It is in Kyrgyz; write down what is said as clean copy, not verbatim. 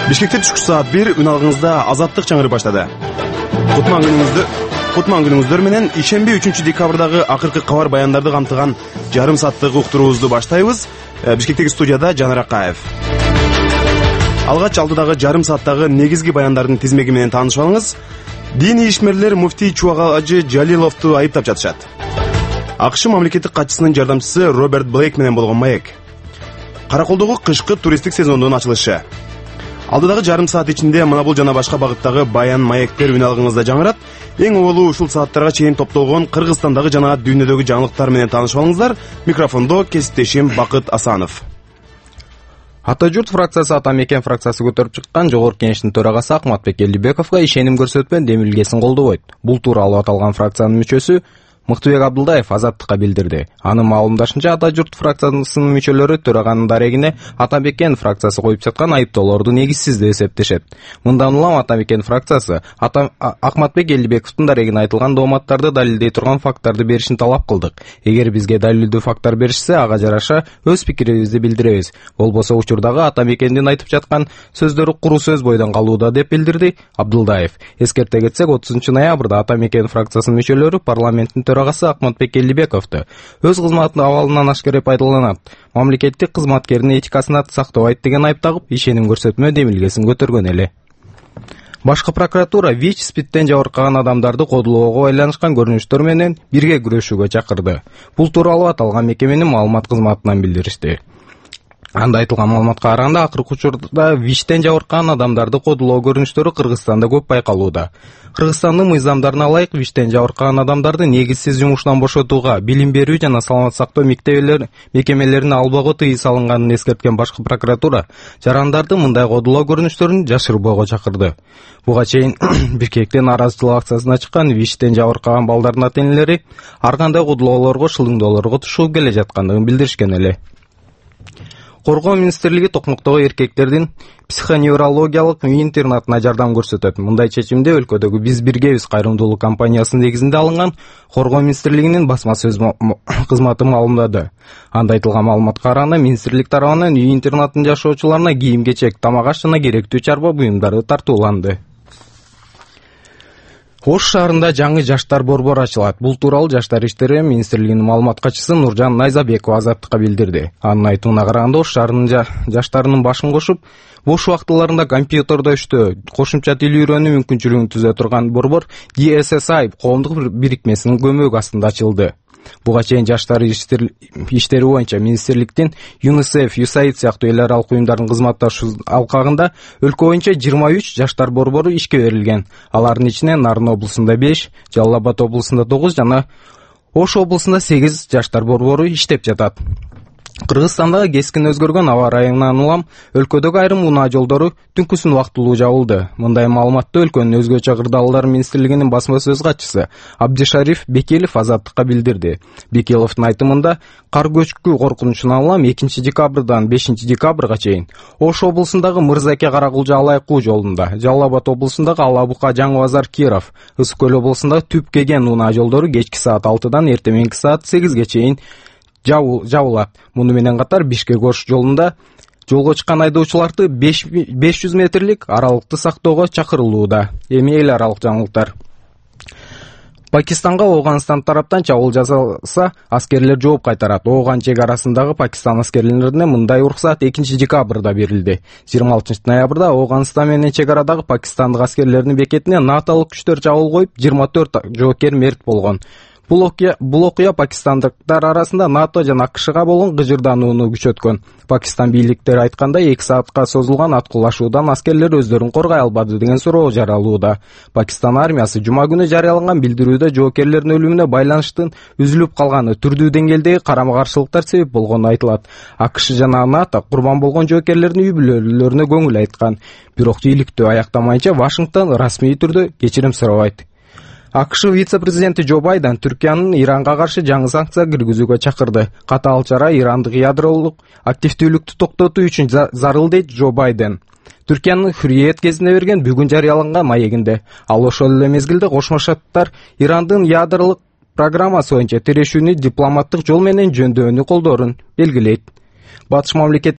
Бишкекте түшкү саат 1 үналыгыңызда азаттык чаңырып баштады. Кутман күнүңүздөр менен ишемби 3 декабрдагы акыркы кабар баяндарды камтыган жарым сааттык уктуруубузду баштайбыз. Бишкектеги студияда Жанар Акаев. Алгач алдыдагы жарым сааттагы негизги баяндардын тизмеги менен таанышып алыңыз. Диний ишмерлер муфтий Чубагажы Жалиловду айыптап жатышат. АКШ мамлекеттик катчысынын жардамчысы Роберт Блейк менен болгон маек. Караколдогу кышкы туристтик сезондун ачылышы. Алдыдагы жарым саат ичинде мына бул жана башка багыттагы баян маектер үналыгыңызда жаңырат. Эң оболу ушул сааттарга чейин топтолгон Кыргызстандагы жана дүйнөдөгү жаңылыктар менен таанышып алыңыздар. Микрофондо кесиптешим Бакыт Асанов. Ата журт фракциясы Ата мекен фракциясы көтөрүп чыккан Жогорку Кеңештин төрагасы Акматбек Элдибековго ишеним көрсөтпөн демилгесин колдобойт. Бул тууралуу аталган фракциянын мүчөсү Мыктыбек Абдылдаев азаттыкка билдирди. Анын маалымдашынча Ата журт фракциясынын мүчөлөрү төраганын дарегине Ата мекен фракциясы коюп жаткан айыптоолорду негизсиз деп эсептешет. Мындан улам Ата мекен фракциясы Акматбек Элдибековдун дарегине айтылган дооматтарды далилдей турган факттарды беришин талап кылдык. Эгер бизге далилдүү факттар беришсе, ага жараша өз пикирибизди билдиребиз. Болбосо учурдагы Ата мекендин айтып жаткан сөздөрү куру сөз бойдон калууда деп билдирди Абдылдаев. Эскерте кетсек, 30-ноябрда Ата мекен фракциясынын мүчөлөрү парламенттин төрагасы Акматбек Элдибековду өз кызматынын абалынан ашкере пайдаланат, мамлекеттик кызматкердин этикасын сактабайт деген айыптагып, ишеним көрсөтмө демилгесин көтөргөн эле. Башкы прокуратура ВИЧ-спидтен жабыркаган адамдарды кодулоого байланышкан көрүнүштөр менен бирге күрөшүүгө чакырды. Бул тууралуу аталган мекеменин маалымат кызматынан билдиришти. Анда айтылган маалыматка караганда, акыркы учурда ВИЧтен жабыркаган адамдарды кодулоо көрүнүштөрү Кыргызстанда көп байкалууда. Кыргызстандын мыйзамдарына ылайык ВИЧтен жабыркаган адамдарды негизсиз жумуштан бошотууга, билим берүү жана саламат сактоо мекемелерине албоого тыюу салынганын эскерткен башкы прокуратура жарандарды мындай кодулоо көрүнүштөрүн жашырбоого чакырды. Буга чейин Бишкектен нааразычылык акциясына чыккан ВИЧтен жабыркаган балдардын ата-энелери ар кандай кодулоолорго, шылыңдоолорго тушуп келе жаткандыгын билдиришкен эле. Коргоо министрлиги токмоктогу эркектердин психоневрологиялык үй-интернатына жардам көрсөтөт. Мындай чечимди өлкөдөгү Биз биргебиз кайрымдуулук компаниясынын негизинде алынган Коргоо министрлигинин басма сөз кызматы маалымдады. Анда айтылган маалыматка караганда, министрлик тарабынан үй-интернаттын жашоочуларына кийим-кечек, тамак-аш жана керектүү чарба буюмдары тартууланды. Ош шаарында жаңы жаштар борбору ачылат. Бул тууралуу Жаштар иштери министрлигинин маалымат катчысы Нуржан Найзабекова азаттыкка билдирди. Анын айтуuna караганда, Ош шаарынын жаштарынын башын кошуп, бош убактыларында компьютерде иштөө, кошумча тил үйрөнүү мүмкүнчүлүгүн түзө турган борбор DSSI коомдук бирикмесинин көмөгү астында ачылды. Буга чейин Жаштар иштери боюнча министрликтин ЮНИСЕФ, USAID сыяктуу эл аралык уюмдардын кызматташуу алкагында өлкө боюнча 23 жаштар борбору ишке берилген. Алардын ичинен Нарын облусунда 5, Жалал Абад облусунда 9 жана Ош облусунда 8 жаштар борбору иштеп жатат. Кыргызстандагы кескин өзгөргөн аба ырайынан улам өлкөдөгү айрым унаа жолдору түнкүсүн убактылуу жабылды. Мындай маалыматты өлкөнүн өзгөчө кырдаалдар министрлигинин басма сөз катчысы Абдишариф Бекелов азаттыкка билдирди. Бекеловдун айтымында, кар көчкү коркунучунан улам 2 декабрдан 5 декабрга чейин Ош облусундагы Мырзаке Каракулжа Алайкуу жолунда, Жалал Абад облусундагы Алабука Жаңы базар Киров, Ысык көл облусундагы Түп Кеген унаа жолдору кечки саат 6-дан эртеменки саат 8-ге чейин жабылат. Муну менен катар Бишкек-Ош жолунда жолго чыккан айдоочуларды 500 метрлик аралыкты сактоого чакырылууда. Эми эл аралык жаңылыктар. Пакистанга Афганистан тараптан чабуул жасалса, аскерлер жооп кайтарат. Афган чек арасындагы Пакистан аскерлерине мындай уруксат 2 декабрда берилди. 26-ноябрда Афганистан менен чек арадагы пакистандык аскерлердин бекетине наталык күчтөр чабуул коюп, 24 жоокер мерт болгон. Бул окуя пакистандыктар арасында НАТО жана АКШга болгон кыжырданууну күчөткөн. Пакистан бийликтери айткандай, 2 саатка созулган аткылашуудан аскерлер өздөрүн коргой албады деген суроо жаралууда. Пакистан армиясы жума күнү жарыялаган билдирүүдө жоокерлердин өлүмүнө байланыштын үзүлүп калганы, түрдүү деңгээлдеги карама-каршылыктар себеп болгону айтылат. АКШ жана НАТО курбан болгон жоокерлердин үй бүлөлөрүнө көңүл айткан. Бирок ийгиликтүү аяктамайынча Вашингтон расмий түрдө кечирим сурабайт. АКШ вице-президенти Джо Байден Түркиянын Иранга каршы жаңы санкция киргизүүгө чакырды. Катаал чара ирандык ядролук активдүүлүктү токтотуу үчүн зарыл дейт Джо Байден. Түркиянын Hürriyet кезинде берген бүгүн жарыяланган маегинде. Ал ошол эле мезгилде Кошмо Шаттар Ирандын ядролук программасы боюнча тирешүүнү дипломаттык жол менен жөндөөнү колдоорун белгилейт. Батыш мамлекет